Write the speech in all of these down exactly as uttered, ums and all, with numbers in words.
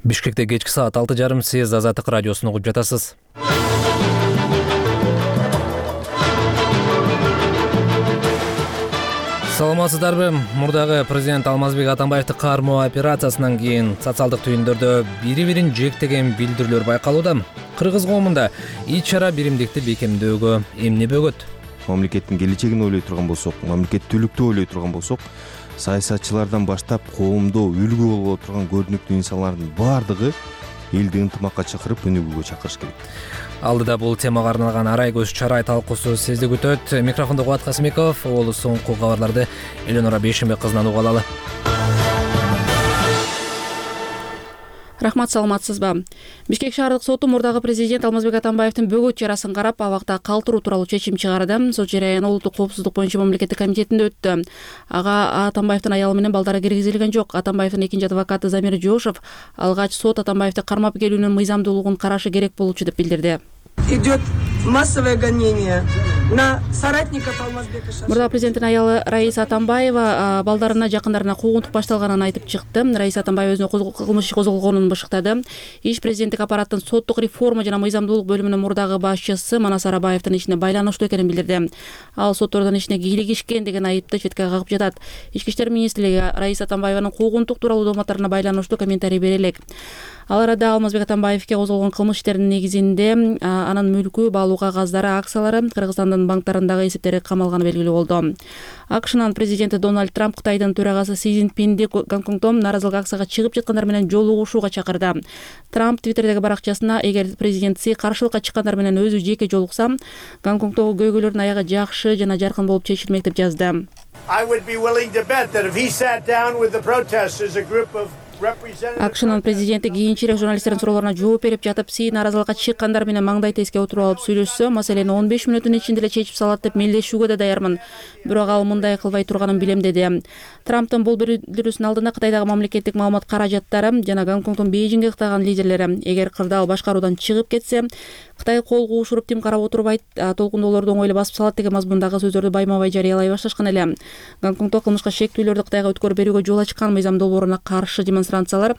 Бишкекте кечки саат алты жарым сиз Азаттык радиосун угуп жатасыз. Саламатсыздарбы? Мурдагы президент Алмазбек Атамбаевди кармоо операциясынан кийин социалдык түйүндөрдө бири-бирин жектеген билдирүүлөр байкалууда. Кыргыз коомунда ич-чара биримдикти бекемдөөгө эмне бөгөт? Мамлекеттин келечегин ойлой турган болсок, мамлекеттүүлүктү ойлой турган болсок, саясатчылардан баштап коомдо үлгү боло турган көрүнүктүү инсандардын баардыгы элди ынтымакка чакырып өнүгүүгө чакырыш керек. Алдыда бул темага арналган арай көз чарай талкуусу сизди күтөт. Микрофондо Кубат Касымеков, ол соңку кабарларды Эленора Бейшенбек кызынан уга алалы. Рахмат, саламатсызбы? Бишкек шаардык соту мурдагы президент Алмазбек Атамбаевдин бөгөт чарасын карап, абакта калтыруу тууралуу чечим чыгарды. Сот жарыяны улуттук коопсуздук боюнча мамлекеттик комитетинде өттү. Ага Атамбаевдин аялы менен балдары киргизилген жок. Атамбаевдин экинчи адвокаты Замир Жошев алгач сот Атамбаевди кармап келүүнүн мыйзамдуулугун карашы керек болчу деп билдирди. Идет массовое гонение на соратников Алмазбека. Мурда президенттин аялы Раиса Атамбаева балдарына, жакындарына куугунтук башталганын айтып чыкты. Раиса Атамбаева өзүнүн кылмыш козголгонун бышыктады. Иш президенттик аппараттын соттук реформа жана мыйзамдуулук бөлүмүнүн мурдагы башчысы Манас Арабаевдин ишине байланыштуу экенин билдирди. Ал соттордун ишине кийлигишкен деген айыпты четке кагып жатат. Ички иштер министрлиги Раиса Атамбаеванын куугунтук тууралуу дооматтарына байланыштуу комментарий бере элек. Ал арада Алмазбек Атамбаевге козголгон кылмыш иштеринин негизинде анын мүлкү, баалуу кагаздары, акциялары, Кыргызстандын банктарындагы эсептери камалганы белгилүү болду. АКШнын президенти Дональд Трамп Кытайдын төрагасы Си Цзиньпинди Гонконгдо нааразылык акцияга чыгып жаткандар менен жолугушууга чакырды. Трамп Твиттердеги баракчасына эгер президент Си каршылыкка чыккандар менен өзү жеке жолукса, Гонконгдогу көйгөйлөрдүн аягы жакшы жана жаркын болуп чечилмек деп жазды. АКШнын президенти кийинчерээк журналисттердин суроолоруна жооп берип жатып, Си нааразылыкка чыккандар менен маңдай теске отуруп алып сүйлөшсө, маселени он беш мүнөттүн ичинде эле чечип салат деп мелдешүүгө да даярмын. Бирок ал мындай кылбай турганын билем, деди. Трамптын бул билдирүүсүнүн алдында Кытайдагы мамлекеттик маалымат каражаттары жана Гонконгдун Бейжиңге ыктаган лидерлери эгер кырдаал башкаруудан чыгып кетсе, Кытай кол куушуруп тим карап отурбайт, толкундоолорду оңойло басып салат деген мазмундагы сөздөрдү байма-бай жарыялай башташкан эле. Гонконгдо кылмышка шектүүлөрдү Кытайга өткөрүп берүүгө жол ачкан мыйзам долбооруна каршы демонстрациялар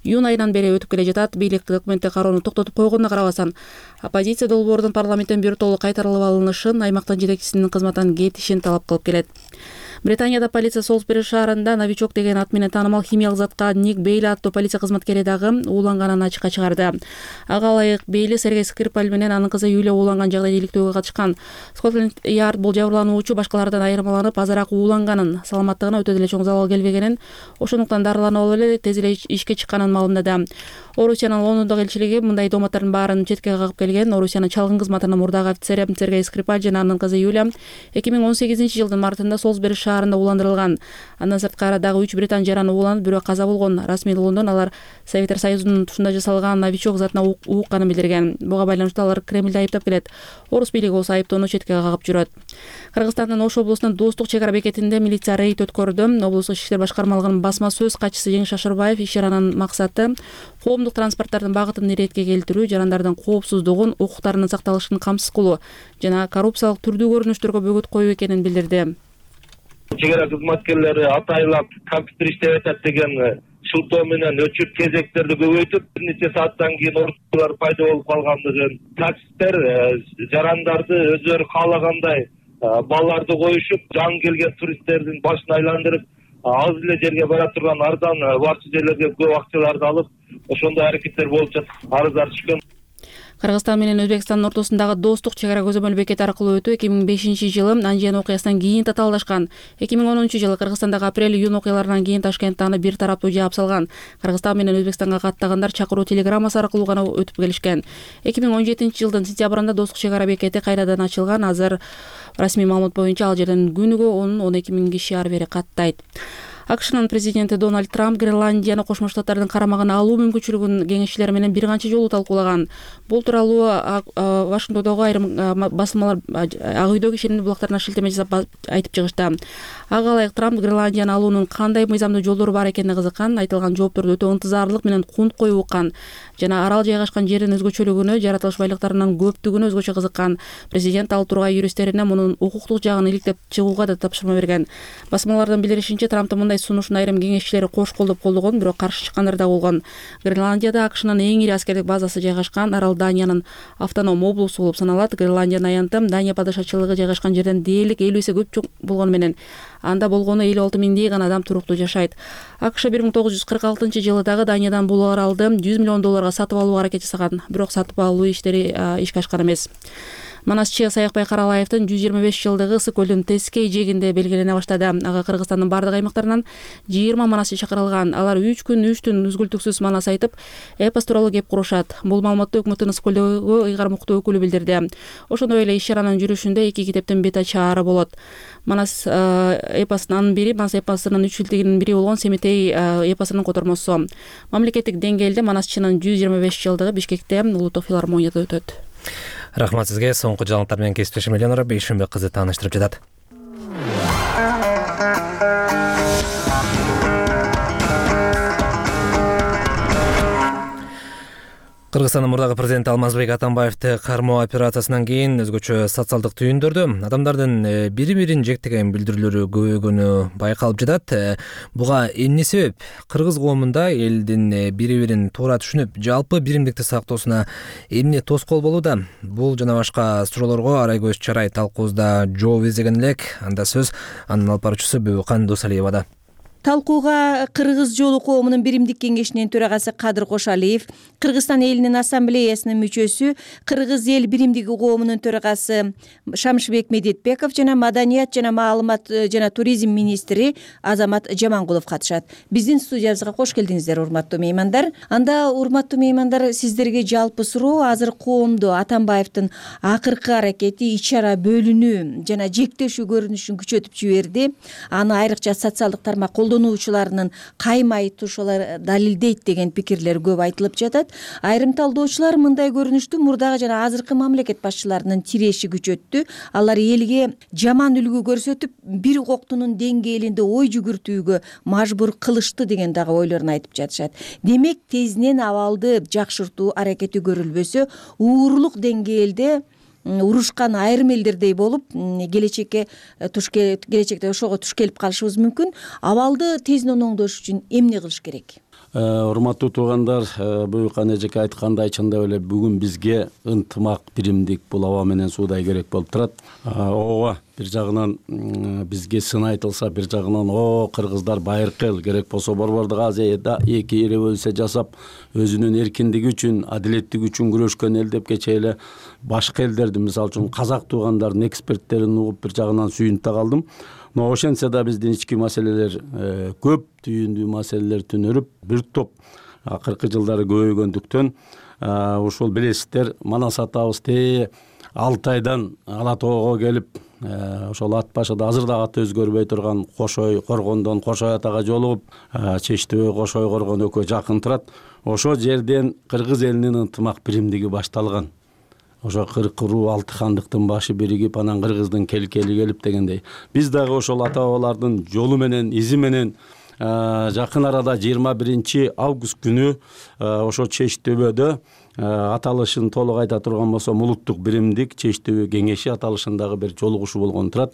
июнь айынан бери өтүп келе жатат. Бийлик документти кароону токтотуп койгонуна карабастан, оппозиция долбоордун парламенттен биртолуу кайтарылып алынышын, аймактын жетекчисинин кызматтан кетишин талап кылып келет. Британияда полиция Солсбери шаарында новичок деген ат менен таанымал химиялык затка Ник Бейли аттуу полиция кызматкери дагы ууланганын ачыкка чыгарды. Ага ылайык Бейли Сергей Скрипаль менен анын кызы Юлия ууланган жагда иликтөөгө катышкан. Скотланд Ярд бул жабырлануучу башкалардан айырмаланып, азыраак ууланганын, саламаттыгына өтө деле чоң залал келбегенин, ошондуктан дарыланып алып эле тез эле ишке чыкканын маалымдады. Орусиянын Лондондогу элчилиги мындай дооматтардын баарын четке кагып келген. Орусиянын чалгын кызматынын мурдагы офицери Сергей Скрипаль жана анын кызы Юлия эки миң он сегизинчи жылдын мартында Солсбери шаарында ууландырылган. Андан сырткары дагы үч британ жараны ууланып, бирөө каза болгон. Расмий Лондон алар Советтер Союзунун тушунда жасалган новичок затына уукканын билдирген. Буга байланыштуу алар Кремлди айыптап келет. Орус бийлиги болсо айыптоону четке кагып жүрөт. Кыргызстандын Ош облусунун Достук чек ара бекетинде милиция рейд өткөрдү. Облустук ички иштер башкармалыгынын басма сөз катчысы Жеңиш Ашырбаев иш-чаранын максаты коомдук транспорттардын багытын иретке келтирүү, жарандардын коопсуздугун, укуктарынын сакталышын камсыз кылуу жана коррупциялык түрдүү көрүнүштөргө бөгөт коюу экенин билдирди. Чек ара кызматкерлери атайлап компьютер иштеп атат деген шылтоо менен өчүп кезектерди көбөйтүп, бир нече сааттан кийин ордулар пайда болуп калгандыгын, таксисттер жарандарды өзүлөрү каалагандай балларды коюшуп, жаңы келген туристтердин башын айландырып, аз эле жерге бара турган арзан барчу жерлерге көп акчаларды алып, ошондой аракеттер болуп жатат. Арыздар түшкөн. Кыргызстан менен Өзбекстандын ортосундагы Достук чек ара көзөмөл бекети аркылуу өтүү эки миң бешинчи жылы Анжиен окуясынан кийин татаалдашкан. эки миң онунчу жылы Кыргызстандагы апрель-июнь окуяларынан кийин Ташкентте аны бир тараптуу жаап салган. Кыргызстан менен Өзбекстанга каттагандар чакыруу телеграммасы аркылуу гана өтүп келишкен. эки миң он жетинчи жылдын сентябрында Достук чек ара бекети кайрадан ачылган. Азыр расмий маалымат боюнча ал жерден күнүгө он он эки миң киши ары бери каттайт. АКШнын президенти Дональд Трамп Гренландияны Кошмо Штаттардын карамагына алуу мүмкүнчүлүгүн кеңешчилер менен бир канча жолу талкуулаган. Бул тууралуу Вашингтондогу айрым басылмалар Ак үйдөгү ишеним булактарына шилтеме жасап айтып чыгышты. Ага ылайык Трамп Гренландияны алуунун кандай мыйзамдуу жолдору бар экенине кызыккан, айтылган жоопторду өтө ынтызарлык менен кунт коюп уккан жана арал жайгашкан жердин өзгөчөлүгүнө, жаратылыш байлыктарынын көптүгүнө өзгөчө кызыккан. Президент ал тургай юристтерине мунун укуктук жагын иликтеп чыгууга да тапшырма берген. Басмалардын билдиришинче, Трамптын мындай сунушун айрым кеңешчилери кош колдоп колдогон, бирок каршы чыккандар да болгон. Гренландияда АКШнын эң ири аскердик базасы жайгашкан. Арал Даниянын автоном облусу болуп саналат. Гренландиянын аянтым Дания падышачылыгы жайгашкан жерден дээрлик элүү эсе көп болгону менен анда болгону элүү алты миңдей гана адам туруктуу жашайт. АКШ бир миң тогуз жүз кырк алтынчы жылы дагы Даниядан бул аралды жүз миллион долларга сатып алууга аракет жасаган, бирок сатып алуу иштери ишке ашкан эмес. Манасчы Саякбай Каралаевдин жүз жыйырма беш жылдыгы Ысык көлдүн Тескей жээгинде белгилене баштады. Ага Кыргызстандын бардык аймактарынан жыйырма манасчы чакырылган. Алар үч күн үч түн үзгүлтүксүз манас айтып, эпос тууралуу кеп курушат. Бул маалыматты өкмөттүн Ысык көлдөгү ыйгар муктуу өкүлү билдирди. Ошондой эле иш чаранын жүрүшүндө эки китептин бет ачаары болот. Манас эпосунун бири, Манас эпосунун үч килтигинин бири болгон Семетей эпосунун котормосу. Мамлекеттик деңгээлде манасчынын жүз жыйырма беш жылдыгы Бишкекте Улуттук филармонияда өтөт. Рахмат сизге. Соңку жаңылыктар менен кесиптешим Эленора Бейшенбек кызы тааныштырып жатат. Кыргызстандын мурдагы президенти Алмазбек Атамбаевди кармоо операциясынан кийин өзгөчө социалдык түйүндөрдө адамдардын бири-бирин жектеген билдирүүлөрү көбөйгөнү байкалып жатат. Буга эмне себеп? Кыргыз коомунда элдин бири-бирин туура түшүнүп, жалпы биримдикти сактоосуна эмне тоскоол болууда? Бул жана башка суроолорго Арайгөз Чарай талкуубузда жооп издеген элек. Анда сөз анын алып баруучусу Бөбөкан Досалиевада. Талкууга Кыргыз жолу коомунун биримдик кеңешинин төрагасы Кадыр Кошалиев, Кыргызстан элинин ассамблеясынын мүчөсү, Кыргыз эл биримдиги коомунун төрагасы Шамшыбек Медетбеков жана Маданият жана маалымат жана туризм министри Азамат Жамангулов катышат. Биздин студиябызга кош келдиңиздер, урматтуу меймандар. Анда, урматтуу меймандар, сиздерге жалпы суроо азыр коомдо Атамбаевдин акыркы аракети ич-чара бөлүнүү жана жектешүү көрүнүшүн күчөтүп жиберди. Аны айрыкча социалдык тармак колдонуучуларынын каймай тушулар далилдейт деген пикирлер көп айтылып жатат. Айрым талдоочулар мындай көрүнүштү мурдагы жана азыркы мамлекет башчыларынын тиреши күчөттү. Алар элге жаман үлгү көрсөтүп, бир коктунун деңгээлинде ой жүгүртүүгө мажбур кылышты деген дагы ойлорун айтып жатышат. Демек, тезинен абалды жакшыртуу аракети көрүлбөсө, уурулук деңгээлде урушкан айрым элдердей болуп, келечекке туш келечекте ошого туш келип калышыбыз мүмкүн. Абалды тезинен оңдош үчүн эмне кылыш керек? Урматтуу туугандар, Бөбөкан эжеке айткандай, чындап эле бүгүн бизге ынтымак, биримдик бул аба менен суудай керек болуп турат. Ооба, бир жагынан бизге сын айтылса, бир жагынан о кыргыздар байыркы эл, керек болсо Борбордук Азияда эки революция жасап, өзүнүн эркиндиги үчүн, адилеттиги үчүн күрөшкөн эл деп кечээ эле башка элдерди, мисалы үчүн казак туугандардын эксперттерин угуп бир жагынан сүйүнүп да калдым. Но ошентсе да биздин ички маселелер көп, түйүндүү маселелер түнөрүп, бир топ акыркы жылдары көбөйгөндүктөн ушул билесиздер, Манас атабыз те алты айдан Ала тоого келип, ошол ат башыда азыр да аты өзгөрбөй турган Кошой Коргондон Кошой атага жолугуп, Чечтөбө Кошой Коргон экөө жакын турат. Ошол жерден кыргыз элинин ынтымак биримдиги башталган. Ошо кырк руу алты хандыктын башы биригип, анан кыргыздын келкели келип дегендей. Биз дагы ошол ата бабалардын жолу менен, изи менен жакын арада жыйырма биринчи август күнү ошо Чечтөбөдө аталышын толук айта турган болсом, улуттук биримдик Чечтөбө кеңеши аталышындагы бир жолугушуу болгон турат.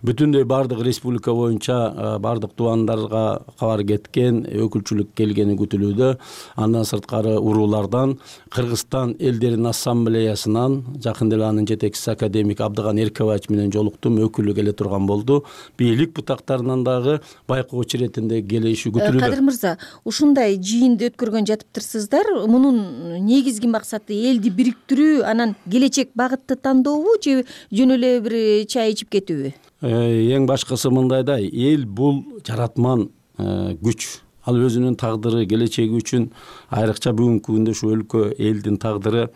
Бүтүндөй бардык республика боюнча бардык тубандарга кабар кеткен, өкүлчүлүк келгени күтүлүүдө. Андан сырткары уруулардан, Кыргызстан элдеринин ассамблеясынан жакын эле анын жетекчиси академик Абдыган Эркебаевич менен жолуктум, өкүлү келе турган болду. Бийлик бутактарынан дагы байкоочу иретинде келиши күтүлүүдө. Кадыр мырза, ушундай жыйынды өткөргөн жатыптырсыздар. Мунун негизги максаты элди бириктирүү, анан келечек багытты тандообу же жөн эле бир чай ичип кетүүбү? Эң башкысы мындай да, эл бул жаратман күч. Ал өзүнүн тагдыры, келечеги үчүн айрыкча бүгүнкү күндө ушу өлкө элдин тагдыры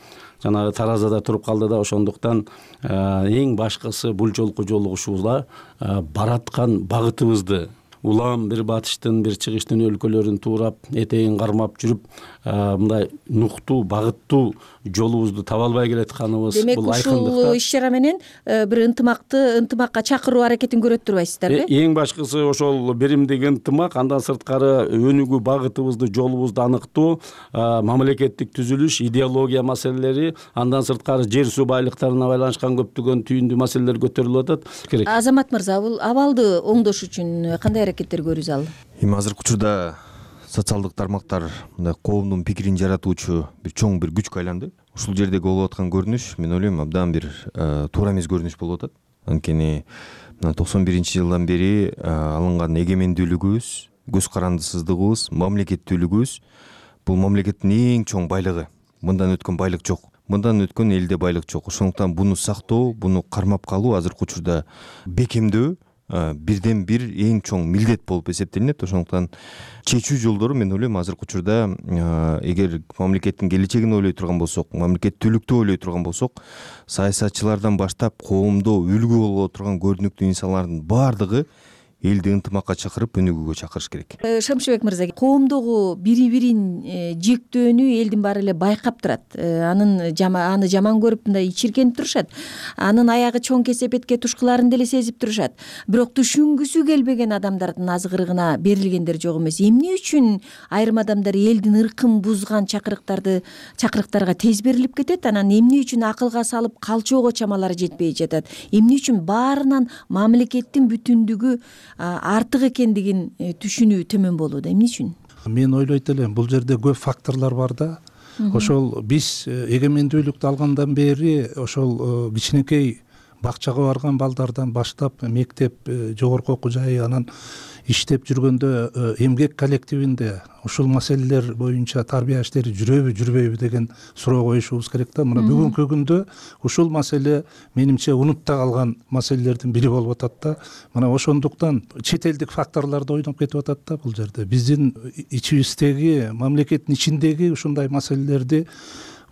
жанагы таразада туруп калды да, ошондуктан эң башкысы бул жолку жолугушууда бараткан багытыбызды улам бир батыштын, бир чыгыштын өлкөлөрүн туурап, этегин кармап жүрүп, мындай нуктуу багыттуу жолубузду таба албай келатканыбыз демек бул ушул айкындыкта. иш чара менен бир ынтымакты ынтымакка чакыруу аракетин көрөт турбайсыздарбы? Эң башкысы ошол биримдик ынтымак, андан сырткары өнүгүү багытыбызды, жолубузду аныктоо, мамлекеттик түзүлүш, идеология маселелери, андан сырткары жер суу байлыктарына байланышкан көптөгөн түйүндүү маселелер көтөрүлүп атат. Керек. Азамат мырза, бул абалды оңдош үчүн кандай аракеттер көрүү зарыл? Эми азыркы учурда социалдык тармактар мындай коомдун пикирин жаратуучу бир чоң бир күчкө айланды. Ушул жердеги болуп аткан көрүнүш мен ойлойм абдан бир туура эмес көрүнүш болуп атат. Анткени мына токсон биринчи жылдан бери алынган эгемендүүлүгүбүз, көз карандысыздыгыбыз, мамлекеттүүлүгүбүз бул мамлекеттин эң чоң байлыгы. Мындан өткөн байлык жок. Мындан өткөн элде байлык жок. Ошондуктан буну сактоо, буну кармап калуу азыркы учурда бекемдөө бирден бир эң чоң милдет болуп эсептелинет. Ошондуктан чечүү жолдору мен ойлойм азыркы учурда эгер мамлекеттин келечегин ойлой турган болсок, мамлекеттүүлүктү ойлой турган болсок, саясатчылардан баштап коомдо үлгү боло турган көрүнүктүү инсанлардын баардыгы элди ынтымакка чакырып өнүгүүгө чакырыш керек. Шамшыбек мырза, коомдогу бири-бирин жектөөнү элдин баары эле байкап турат. Анын аны жаман көрүп мындай ичиркенип турушат. Анын аягы чоң кесепетке тушкуларын деле сезип турушат. Бирок түшүнгүсү келбеген адамдардын азгырыгына берилгендер жок эмес. Эмне үчүн айрым адамдар элдин ыркын бузган чакырыктарды чакырыктарга тез берилип кетет? Анан эмне үчүн акылга салып калчоого чамалары жетпей жатат? Эмне үчүн баарынан мамлекеттин бүтүндүгү артык экендигин түшүнүү төмөн болууда? Эмне үчүн? Мен ойлойт элем, бул жерде көп факторлор бар да. Ошол биз эгемендүүлүктү алгандан бери ошол кичинекей бакчага барган балдардан баштап мектеп, жогорку окуу жайы, анан иштеп жүргөндө эмгек коллективинде ушул маселелер боюнча тарбия иштери жүрөбү, жүрбөйбү деген суроо коюшубуз керек да. Мына бүгүнкү күндө ушул маселе менимче унутта калган маселелердин бири болуп атат да. Мына ошондуктан чет элдик факторлор да ойноп кетип атат да бул жерде. Биздин ичибиздеги, мамлекеттин ичиндеги ушундай маселелерди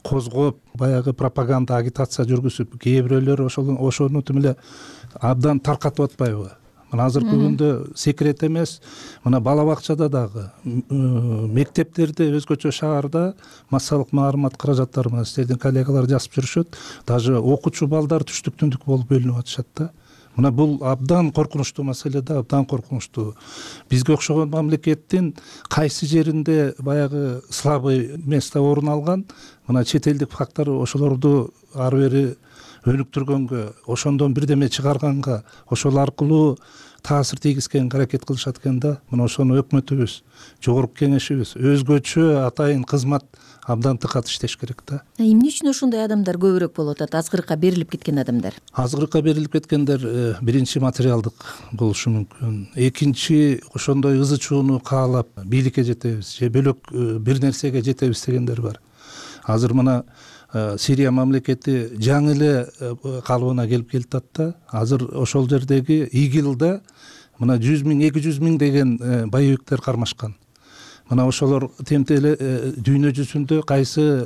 козгоп, баягы пропаганда, агитация жүргүзүп, кээ бирөөлөр ошол ошону тим эле абдан таркатып атпайбы? Мына азыркы күндө секрет эмес, мына бала бакчада дагы, мектептерде, өзгөчө шаарда массалык маалымат каражаттары менен сиздердин коллегалар жазып жүрүшөт. Даже окуучу балдар түштүк түндүк болуп бөлүнүп атышат да. Мына бул абдан коркунучтуу маселе да, абдан коркунучтуу. Бизге окшогон мамлекеттин кайсы жеринде баягы слабый место орун алган, мына чет элдик фактор ошолорду ары бери өнүктүргөнгө, ошондон бирдеме чыгарганга, ошол аркылуу таасир тийгизгенге аракет кылышат экен да. Мына ошону өкмөтүбүз, жогорку кеңешибиз өзгөчө атайын кызмат абдан тыкат иштеш керек да. Эмне үчүн ошондой адамдар көбүрөөк болуп атат? Азгырыкка берилип кеткен адамдар. Азгырыкка берилип кеткендер биринчи материалдык болушу мүмкүн. Экинчи, ошондой ызы чууну каалап бийликке жетебиз же бөлөк бир нерсеге жетебиз дегендер бар. Азыр мына Сирия мамлекети жаңы эле калыбына келип келатат да. Азыр ошол жердеги ИГИЛда мына жүз миң, эки жүз миң деген боевиктер кармашкан. Мына ошолор темтеле дүйнө жүзүндө кайсы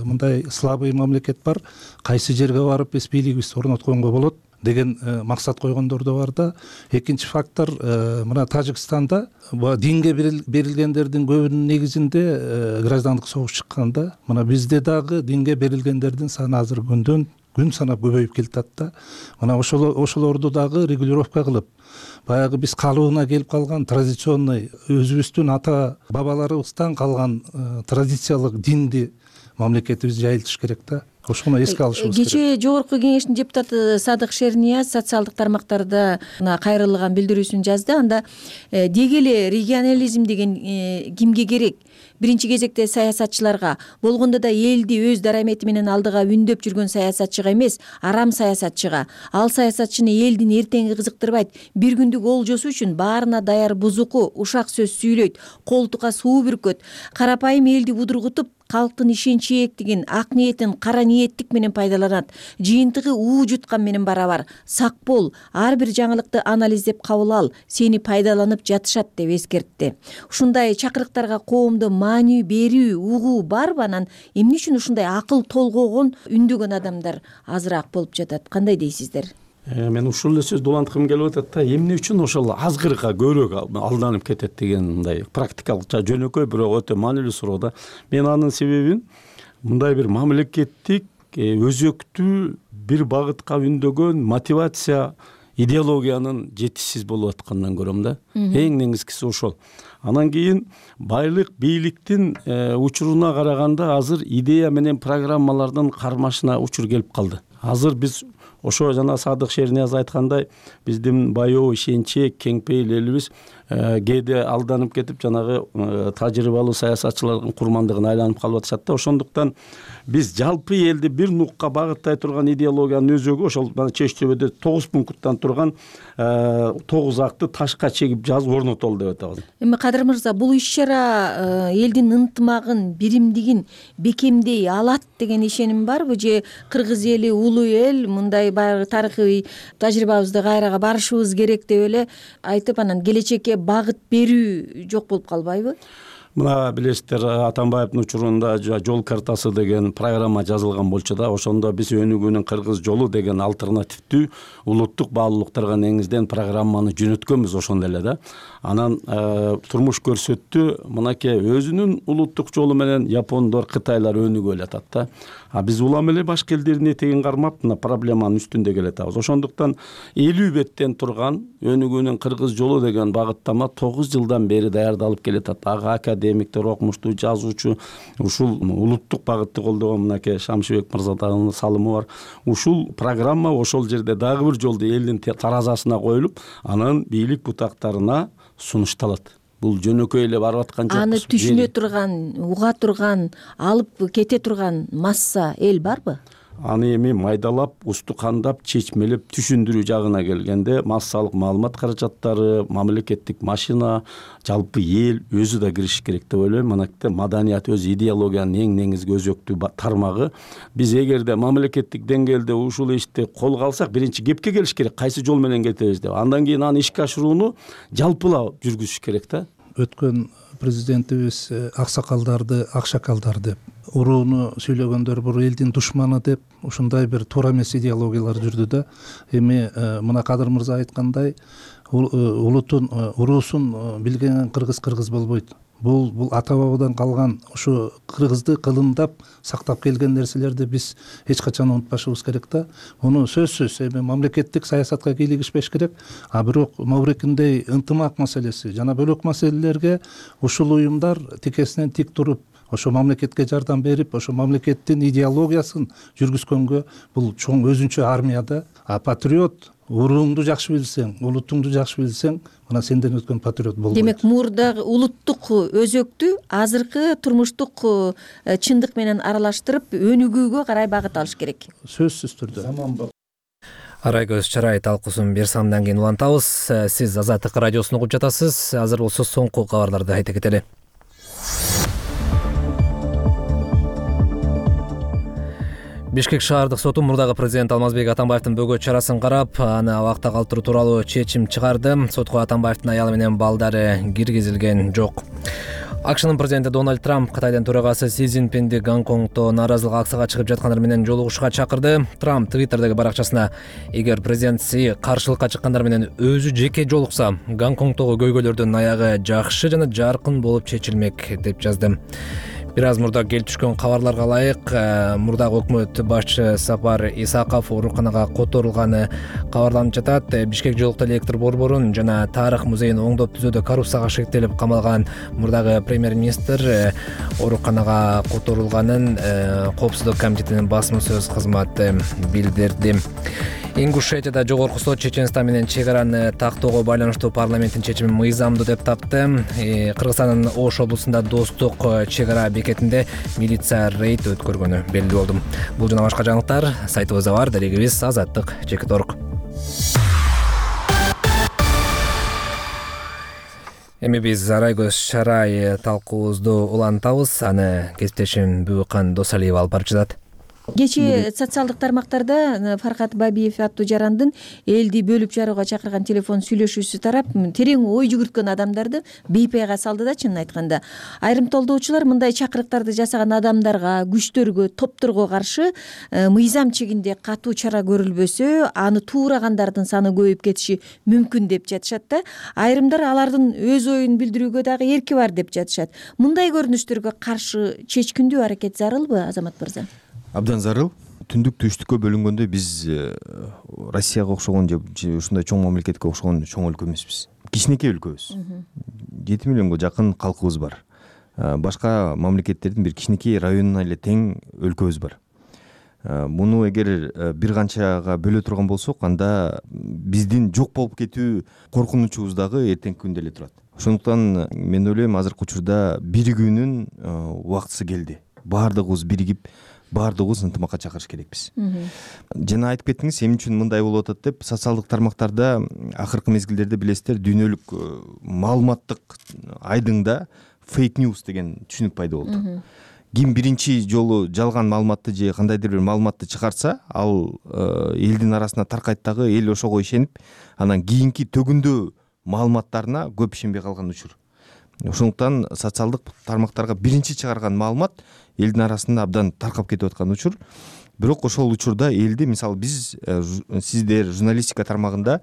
мындай слабый мамлекет бар, кайсы жерге барып биз бийлигибизди орнотконго болот деген максат койгондор да бар да. Экинчи фактор, мына Тажикстанда динге берилгендердин көбүнүн негизинде граждандык согуш чыккан да. Мына бизде дагы динге берилгендердин саны азыр күндөн күн санап көбөйүп келатат да. Мына ошолорду дагы регулировка кылып, баягы биз калыбына келип калган традиционный өзүбүздүн ата бабаларыбыздан калган традициялык динди мамлекетибиз жайылтыш керек да. Ошону эске алышыбыз керек. Кечээ жогорку кеңештин депутаты Садык Шернияз социалдык тармактарда кайрылган билдирүүсүн жазды. Анда деги эле регионализм деген кимге керек? Биринчи кезекте саясатчыларга, болгондо да элди өз дарамети менен алдыга үндөп жүргөн саясатчыга эмес, арам саясатчыга. Ал саясатчыны элдин эртеңи кызыктырбайт. Бир күндүк олжосу үчүн баарына даяр бузуку, ушак сөз сүйлөйт, колтукка суу бүркөт. Карапайым элди будургутуп, калктын ишенчээктигин, ак ниетин кара ниеттик менен пайдаланат. Жыйынтыгы уу жуткан менен барабар. Сак бол, ар бир жаңылыкты анализдеп кабыл ал, сени пайдаланып жатышат деп эскертти. Ушундай чакырыктарга коомдо маанилүү берүү, угуу барбы? Анан эмне үчүн ушундай акыл толгогон үндөгөн адамдар азыраак болуп жатат? Кандай дейсиздер? мен ушул эле сөздү уланткым келип атат да, эмне үчүн ошол азгырга көбүрөөк алданып кетет деген мындай практикалык жөнөкөй бирок өтө маанилүү суроо да. Мен анын себебин мындай бир мамлекеттик өзөктүү бир багытка үндөгөн мотивация идеологиянын жетишсиз болуп атканынан көрөм да. Эң негизгиси ошол. Анан кийин байлык, бийликтин учуруна караганда азыр идея менен программалардын кармашына учур келип калды. Азыр биз ошо жана Садык Шернияз айткандай, биздин баяу ишенчек, кеңпейил элибиз кээде алданып кетип жанагы тажрыйбалуу саясатчылардын курмандыгына айланып калып атышат да. Ошондуктан биз жалпы элди бир нукка багыттай турган идеологиянын өзөгү ошол Чеч төбөдө тогуз пункттан турган тогуз акты ташка чегип жазып орнотолду деп атабыз. Эми Кадыр мырза, бул иш-чара элдин ынтымагын, биримдигин бекемдей алат деген ишеним барбы, же кыргыз эли улуу эл, мындай баягы тарыхый тажрыйбабызды кайрага барышыбыз керек деп эле айтып, анан келечекке багыт берүү жок болуп калбайбы? Мына билесиздер, Атамбаевдин учурунда жол картасы деген программа жазылган болчу да, ошондо биз өнүгүүнүн кыргыз жолу деген альтернативдүү улуттук баалуулуктарга негизден программаны жөнөткөнбүз ошондо эле да. Анан турмуш көрсөттү, мынакей өзүнүн улуттук жолу менен япондор, кытайлар өнүгүп элатат да. А биз улам эле башка элдердин этегин кармап, мына проблеманын үстүндө келатабыз. Ошондуктан элүү беттен турган өнүгүүнүн кыргыз жолу деген багыттама тогуз жылдан бери даярдалып келатат. Ага академиктер, окумуштуу, жазуучу, ушул улуттук багытты колдогон мынакей Шамшыбек мырзанын салымы бар. Ушул программа ошол жерде дагы бир жолду элдин таразасына коюлуп, анан бийлик бутактарына сунушталат. Бул жөнөкөй эле барып аткан жокпуз. Аны түшүнө турган, уга турган, алып кете турган масса эл барбы? Аны эми майдалап, устукандап, чечмелеп түшүндүрүү жагына келгенде массалык маалымат каражаттары, мамлекеттик машина, жалпы эл өзү да кириш керек деп ойлойм. Манакте маданият өз идеологиянын эң негизги өзөктүү тармагы. Биз эгерде мамлекеттик деңгээлде ушул ишти колго алсак, биринчи кепке келиш керек, кайсы жол менен кетебиз деп. Андан кийин аны ишке ашырууну жалпылап жүргүзүш керек да. Өткөн президентибиз аксакалдарды акшакалдар деп, урууну сүйлөгөндөр бул элдин душманы деп, ушундай бир туура эмес идеологиялар жүрдү да. Эми мына Кадыр мырза айткандай, улутун, уруусун билген кыргыз кыргыз болбойт. Бул бул ата бабадан калган ушу кыргызды кылымдап сактап келген нерселерди биз эч качан унутпашыбыз керек да. Муну сөзсүз эми мамлекеттик саясатка кийлигишпеш керек, а бирок Маврикиндей ынтымак маселеси жана бөлөк маселелерге ушул уюмдар тикесинен тик туруп, ошо мамлекетке жардам берип, ошо мамлекеттин идеологиясын жүргүзгөнгө бул чоң өзүнчө армия да. А патриот урууңду жакшы билсең, улутуңду жакшы билсең, мына сенден өткөн патриот болбойт. Демек, мурдагы улуттук өзөктү азыркы турмуштук чындык менен аралаштырып, өнүгүүгө карай багыт алыш керек. Сөзсүз түрдө. Арай көз чарай талкуусун бир самдан кийин улантабыз. Сиз Азаттык радиосун угуп жатасыз. Азыр болсо соңку кабарларды айта кетели. Бишкек шаардык соту мурдагы президент Алмазбек Атамбаевдин бөгөт чарасын карап, аны абакта калтыруу тууралуу чечим чыгарды. Сотко Атамбаевдин аялы менен балдары киргизилген жок. АКШнын президенти Дональд Трамп Кытайдын төрагасы Си Цзиньпинди Гонконгдо нааразылык акцияга чыгып жаткандар менен жолугушууга чакырды. Трамп Твиттердеги баракчасына: эгер президент Си каршылыкка чыккандар менен өзү жеке жолукса, Гонконгдогу көйгөйлөрдүн аягы жакшы жана жаркын болуп чечилмек деп жазды. Бир аз мурда келип түшкөн кабарларга ылайык, мурдагы өкмөт башчы Сапар Исаков ооруканага которулганы кабарланып жатат. Бишкек жолукту электр борборун жана тарых музейин оңдоп түзүүдө коррупцияга шектелип камалган мурдагы премьер-министр ооруканага которулганын Коопсуздук комитетинин басма сөз кызматы билдирди. Ингушетияда жогорку сот Чеченстан менен чек араны тактоого байланыштуу парламенттин чечимин мыйзамдуу деп тапты. Кыргызстандын Ош облусунда Достук чек ара бекетинде милиция рейд өткөргөнү белгилүү болду. Бул жана башка жаңылыктар сайтыбызда бар, дарегибиз азаттык чекит орг. Эми биз Арай көз чарай талкуубузду улантабыз. Аны кесиптешим Бүкан Досалиева алып барып жатат. кечээ социалдык тармактарда Фаркат Бабиев аттуу жарандын элди бөлүп жарууга чакырган телефон сүйлөшүүсү тарап терең ой жүгүрткөн адамдарды бейпайга салды да. Чынын айтканда айрым толдоочулар мындай чакырыктарды жасаган адамдарга, күчтөргө, топторго каршы мыйзам чегинде катуу чара көрүлбөсө аны тууграгандардын саны көбөйүп кетиши мүмкүн деп жатышат да. Айрымдар алардын өз оюн билдирүүгө дагы эрки бар деп жатышат. Мындай көрүнүштөргө каршы чечкиндүү аракет зарылбы, Азамат мырза? Абдан зарыл. Түндүк түштүккө бөлүнгөндө биз Россияга окшогон же ушундай чоң мамлекетке окшогон чоң өлкө эмеспиз. Кичинекей өлкөбүз. жети миллионго жакын калкыбыз бар. Башка мамлекеттердин бир кичинекей районуна эле тең өлкөбүз бар. Муну эгер бир канчага бөлө турган болсок, анда биздин жок болуп кетүү коркунучубуз дагы эртеңки күндө эле турат. Ошондуктан мен ойлойм, азыркы учурда биригүүнүн убактысы келди. Баардыгыбыз биригип, баардыгыбыз ынтымакка чакырыш керекпиз. Жана айтып кеттиңиз, эмне үчүн мындай болуп атат деп. Социалдык тармактарда акыркы мезгилдерде билесиздер, дүйнөлүк маалыматтык айдыңда фейк ньюс деген түшүнүк пайда болду. Ким биринчи жолу жалган маалыматты же кандайдыр бир маалыматты чыгарса, ал элдин арасына таркайт дагы, эл ошого ишенип, анан кийинки төгүндө маалыматтарына көп ишенбей калган учур. Ошондуктан социалдык тармактарга биринчи чыгарган маалымат элдин арасында абдан таркап кетип аткан учур. Бирок ошол учурда элди, мисалы биз, сиздер журналистика тармагында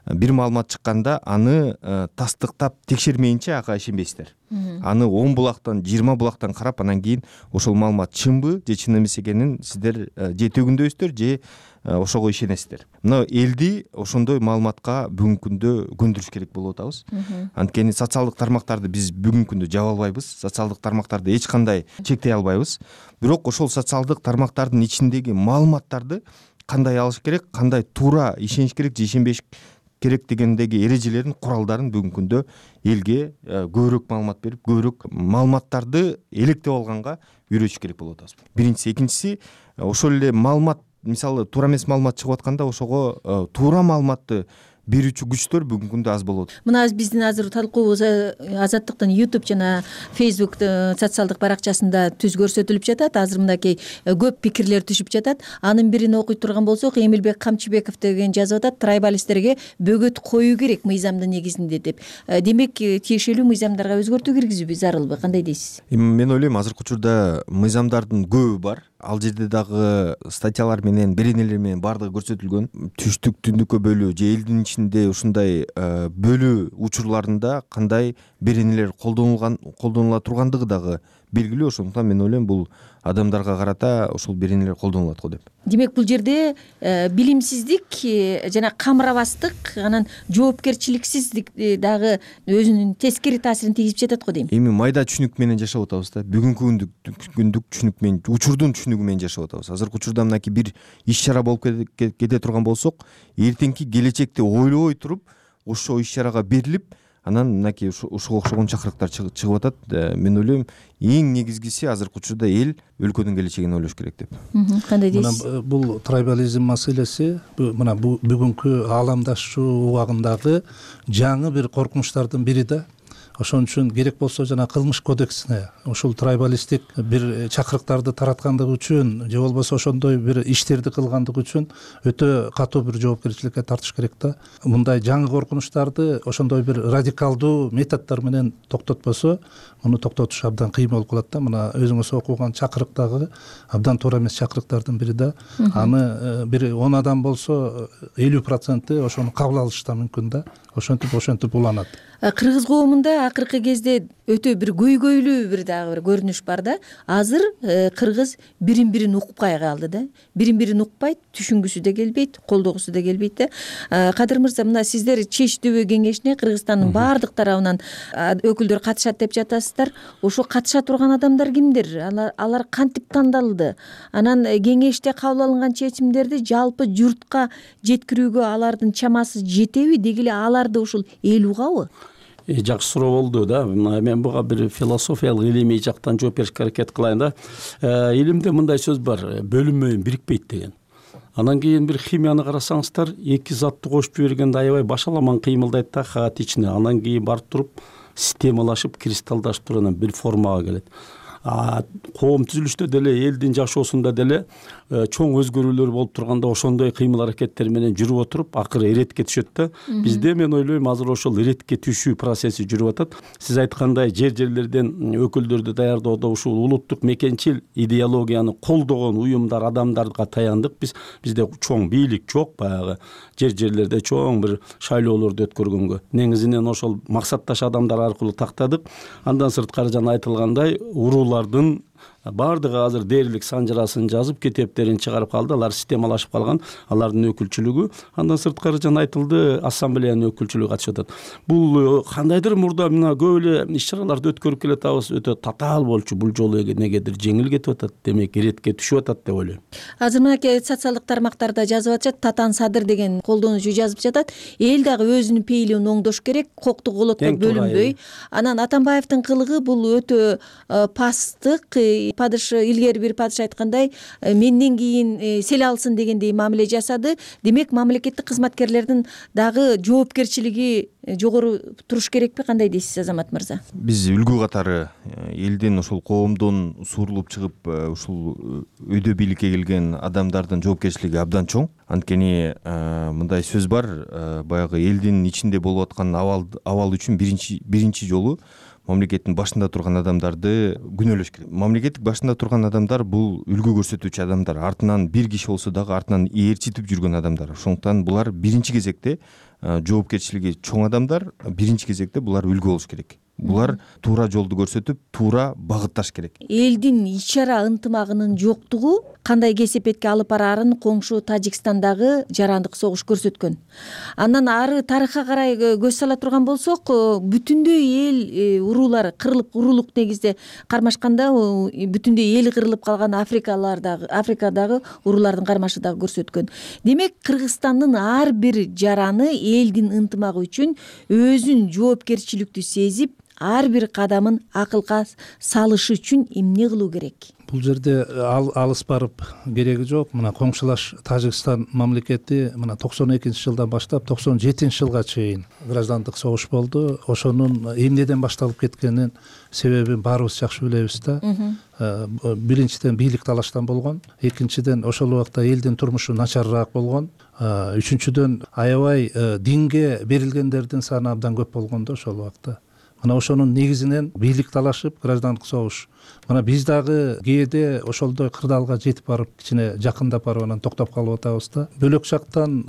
бир маалымат чыкканда аны тастыктап текшермейинче ага ишенбейсиздер. Аны он булактан, жыйырма булактан карап, анан кийин ошол маалымат чынбы же чын эмес экенин сиздер же төгүндөйсүздөр, же ошого ишенесиздер. Мына элди ошондой маалыматка бүгүнкү күндө көндүрүш керек болуп атабыз. Анткени социалдык тармактарды биз бүгүнкү күндө жаба албайбыз, социалдык тармактарды эч кандай чектей албайбыз. Бирок ошол социалдык тармактардын ичиндеги маалыматтарды кандай алыш керек, кандай туура ишениш керек же ишенбеш керек дегендеги эрежелерин, куралдарын бүгүнкү күндө элге көбүрөөк маалымат берип, көбүрөөк маалыматтарды электеп алганга үйрөтүш керек болуп атабыз. Биринчиси, экинчиси, ошол эле маалымат, мисалы туура эмес маалымат чыгып атканда ошого туура маалыматты берүүчү күчтөр бүгүнкү күндө аз болот. Мына биздин азыр талкуубуз Азаттыктын YouTube жана Facebook социалдык баракчасында түз көрсөтүлүп жатат. Азыр мынакей көп пикирлер түшүп жатат. Анын бирин окуй турган болсок, Эмилбек Камчыбеков деген жазып атат: трайбалисттерге бөгөт коюу керек мыйзамдын негизинде деп. Демек, тиешелүү мыйзамдарга өзгөртүү киргизүү зарылбы? Кандай дейсиз? Мен ойлойм, азыркы учурда мыйзамдардын көбү бар. Ал жерде дагы статьялар менен, беренелер менен баардыгы көрсөтүлгөн. Түштүк, түндүккө бөлүү же элдин ичинде ушундай бөлүү учурларында кандай беренелер колдонулган, колдонула тургандыгы дагы белгилүү. Ошондуктан мен ойлойм, бул адамдарга карата ошол беренелер колдонулат го деп. Демек, бул жерде билимсиздик жана камырабастык, анан жоопкерчиликсиздик дагы өзүнүн тескери таасирин тийгизип жатат го дейм. Эми майда түшүнүк менен жашап атабыз да. Бүгүнкү күндүк түшүнүк менен, учурдун түшүнүгү менен жашап атабыз. Азыркы учурда мынакей бир иш чара болуп кете турган болсок, эртеңки келечекти ойлобой туруп, ошол иш чарага берилип, анан мынакей ушуга окшогон чакырыктар чыгып атат. Мен ойлойм, эң негизгиси азыркы учурда эл өлкөнүн келечегин ойлош керек деп. Кандай дейсиз? Мына бул трайбализм маселеси, мына бүгүнкү ааламдашуу убагындагы жаңы бир коркунучтардын бири да. Ошон үчүн керек болсо жана кылмыш кодексине ушул трайбалисттик бир чакырыктарды тараткандыгы үчүн же болбосо ошондой бир иштерди кылгандыгы үчүн өтө катуу бир жоопкерчиликке тартыш керек да. Мындай жаңы коркунучтарды ошондой бир радикалдуу методдор менен токтотпосо, муну токтотуш абдан кыйын болуп калат да. Мына өзүңүз окуган чакырыктагы абдан туура эмес чакырыктардын бири да. Аны бир он адам болсо элүү проценти ошону кабыл алышы да мүмкүн да. Ошентип ошентип уланат. Кыргыз коомунда акыркы кезде өтө бир көйгөйлүү бир дагы бир көрүнүш бар да. Азыр кыргыз бирин бирин укпай калды да. Бирин бирин укпайт, түшүнгүсү да келбейт, колдогусу да келбейт да. Кадыр мырза, мына сиздер ЧЕЧ дөбө кеңешине Кыргызстандын баардык тарабынан өкүлдөр катышат деп жатасыздар. Ошо катыша турган адамдар кимдер? Алар, алар кантип тандалды? Анан кеңеште кабыл алынган чечимдерди жалпы журтка жеткирүүгө алардын чамасы жетеби? Деги эле аларды ушул эл угабы? Жакшы суроо болду да. Мен буга бир философиялык илимий жактан жооп беришке аракет кылайын да. Илимде мындай сөз бар: бөлүнмөйүн, бирикпейт деген. Анан кийин бир химияны карасаңыздар, эки затты кошуп жибергенде аябай башаламан кыймылдайт да каат ичине. Анан кийин барып туруп системалашып, кристаллдашып туруп анан бир формага келет. коом түзүлүштө деле элдин жашоосунда деле чоң өзгөрүүлөр болуп турганда ошондой кыймыл аракеттер менен жүрүп отуруп акыры иретке түшөт да. Бизде мен ойлойм азыр ошол иретке түшүү процесси жүрүп атат. Сиз айткандай жер жерлерден өкүлдөрдү даярдоодо ушул улуттук мекенчил идеологияны колдогон уюмдар, адамдарга таяндык. Биз бизде чоң бийлик жок, баягы жер жерлерде чоң бир шайлоолорду өткөргөнгө. Негизинен ошол максатташ адамдар аркылуу тактадык. Андан сырткары жана айтылгандай уруулардын баардыгы азыр дээрлик санжырасын жазып, китептерин чыгарып калды. Алар системалашып калган, алардын өкүлчүлүгү. Андан сырткары жана айтылды, ассамблеянын өкүлчүлүгү катышып атат. Бул кандайдыр мурда мына көп эле иш-чараларды өткөрүп келатабыз, өтө татаал болчу. Бул жолу негедир жеңил кетип атат, демек иретке түшүп атат деп ойлойм. Азыр мынакей социалдык тармактарда жазып атышат, Татан Садыр деген колдонуучу жазып жатат. Эл дагы өзүнүн пейилин оңдош керек, коктук голотко бөлүнбөй. Анан Атамбаевдин кылыгы бул өтө пасттык. Падыш илгери бир падыш айткандай, менден кийин сел алсын дегендей мамиле жасады. Демек мамлекеттик кызматкерлердин дагы жоопкерчилиги жогору туруш керекпи? Кандай дейсиз, Азамат мырза? Биз үлгү катары элдин ошол коомдон сурулуп чыгып ушул өйдө бийликке келген адамдардын жоопкерчилиги абдан чоң. Анткени мындай сөз бар, баягы элдин ичинде болуп аткан абал абал үчүн биринчи биринчи жолу мамлекеттин башында турган адамдарды күнөөлөш керек. Мамлекеттик башында турган адамдар бул үлгү көрсөтүүчү адамдар, артынан бир киши болсо дагы артынан ээрчитип жүргөн адамдар. Ошондуктан булар биринчи кезекте жоопкерчилиги чоң адамдар, биринчи кезекте булар үлгү болуш керек. Булар туура жолду көрсөтүп, туура багытташ керек. Элдин ич-чара ынтымагынын жоктугу кандай кесепетке алып бараарын коңшу Тажикстандагы жарандык согуш көрсөткөн. Андан ары тарыхка карай көз сала турган болсок, бүтүндөй эл уруулары кырылып, уруулук негизде кармашканда бүтүндөй эл кырылып калган Африкалардагы, Африкадагы уруулардын кармашы дагы көрсөткөн. Демек, Кыргызстандын ар бир жараны элдин ынтымагы үчүн өзүн жоопкерчиликтүү сезип, ар бир кадамын акылга салышы үчүн эмне кылуу керек? Бул жерде ал, алыс барып кереги жок. Мына коңшулаш Тажикстан мамлекети мына токсон экинчи жылдан баштап токсон жетинчи жылга чейин граждандык согуш болду. Ошонун эмнеден башталып кеткенин себебин баарыбыз жакшы билебиз да. Биринчиден бийлик талаштан болгон, экинчиден ошол убакта элдин турмушу начарыраак болгон, үчүнчүдөн аябай динге берилгендердин саны абдан көп болгон да ошол убакта. Мына ошонун негизинен бийлик талашып, граждандык согуш. Мына биз дагы кээде ошолдой кырдаалга жетип барып, кичине жакындап барып анан токтоп калып атабыз да. Бөлөк жактан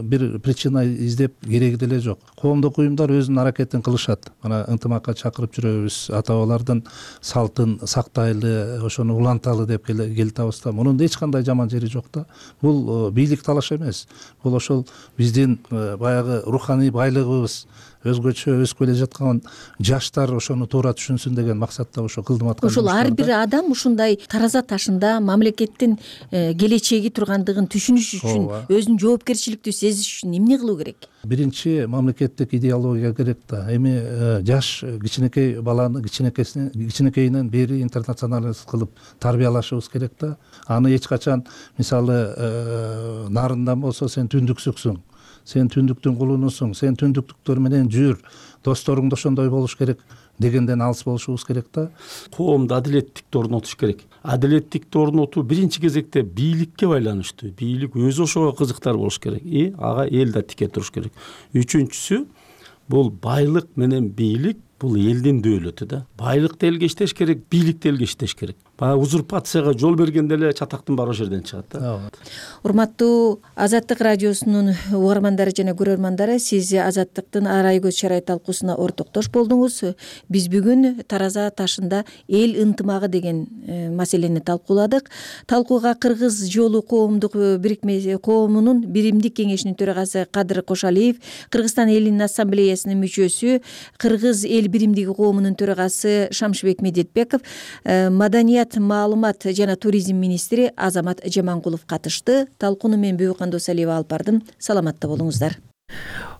бир причина издеп кереги деле жок. Коомдук уюмдар өзүнүн аракетин кылышат. Мына ынтымакка чакырып жүрөбүз, ата бабалардын салтын сактайлы, ошону уланталы деп келатабыз да. Мунун эч кандай жаман жери жок да. Бул бийлик талаш эмес. Бул ошол биздин баягы руханий байлыгыбыз, өзгөчө өсүп келе жаткан жаштар ошону туура түшүнсүн деген максатта ошо кылдым аткан. Ошол ар бир адам ушундай тараза ташында мамлекеттин келечеги тургандыгын түшүнүш үчүн, өзүн жоопкерчиликтүү сезиш үчүн эмне кылуу керек? Биринчи мамлекеттик идеология керек да. Эми жаш кичинекей баланы кичинекесинен кичинекейинен бери интернационалист кылып тарбиялашыбыз керек да. Аны эч качан, мисалы, нарындан болсо сен түндүксүксүң, сен түндүктүн кулунусуң, сен түндүктүктөр менен жүр, досторуң да ошондой болуш керек дегенден алыс болушубуз керек да. Коомдо адилеттикти орнотуш керек. Адилеттикти орнотуу биринчи кезекте бийликке байланыштуу. Бийлик өзү ошого кызыктар болуш керек. И ага эл да тике туруш керек. Үчүнчүсү, бул байлык менен бийлик бул элдин дөөлөтү да. Байлыкты элге иштеш керек, бийликти элге иштеш керек. Баягы узурпацияга жол бергенде эле чатактын баары ошол жерден чыгат да. Урматтуу Азаттык радиосунун угармандары жана көрөрмандары, сиз Азаттыктын арай көз чарай талкуусуна ортоктош болдуңуз. Биз бүгүн тараза ташында эл ынтымагы деген маселени талкууладык. Талкууга Кыргыз жолу коомдук бирикмеси коомунун биримдик кеңешинин төрагасы Кадыр Кошалиев, Кыргызстан элинин ассамблеясынын мүчөсү, Кыргыз эл биримдиги коомунун төрагасы Шамшыбек Медетбеков, маданият, маалымат жана туризм министри Азамат Жамангулов катышты. Талкууну мен Бөйкөн Досалиева алып бардым. Саламатта болуңуздар.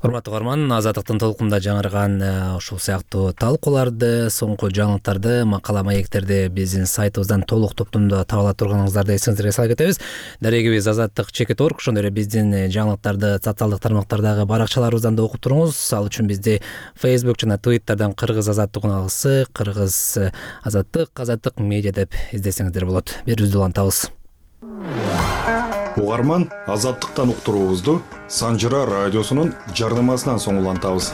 урматтуу угарман, Азаттыктын толкунда жаңырган ушул сыяктуу талкууларды, соңку жаңылыктарды, макала маектерди биздин сайтыбыздан толук топтомдо таба ала турганыңыздарды эсиңиздерге сала кетебиз. Дарегибиз азаттык чекит орг, ошондой эле биздин жаңылыктарды социалдык тармактардагы баракчаларыбыздан да окуп туруңуз. Ал үчүн бизди Facebook жана Twitterдан Кыргыз Азаттык унаалысы, Кыргыз Азаттык, Азаттык медиа деп издесеңиздер болот. Берүүбүздү улантабыз. Угарман, Азаттыктан уктуруубузду Санжыра радиосунун жарнамасынан соң улантабыз.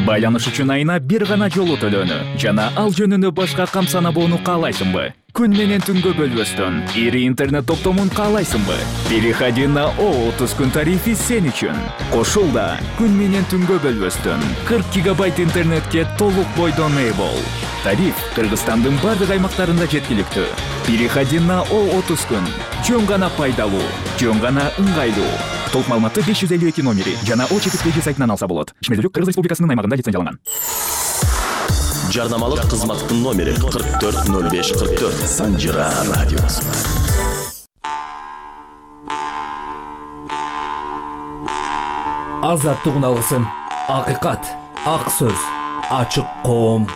Байланыш үчүн айына бир гана жолу төлөөнү жана ал жөнүндө башка камсанабоону каалайсыңбы? Күн менен түнгө бөлбөстөн ири интернет топтомун каалайсыңбы? Переходи на О отуз күн тарифи сен үчүн. Кошулда күн менен түнгө бөлбөстөн кырк гигабайт интернетке толук бойдон ээ бол. Тариф Кыргызстандын бардык аймактарында жеткиликтүү. Переходи на О отуз күн. Жөн гана пайдалуу, жөн гана ыңгайлуу. Толук маалыматты беш жүз элүү эки номери жана О чекит пж сайтынан алса болот. Ишмердүүлүк Кыргыз Республикасынын аймагында лицензияланган. Жарнамалык кызматтын номери кырк төрт ноль беш кырк төрт. Санжыра радиосу. Азаттык унаалысы. Акыйкат, ак сөз, ачык коом.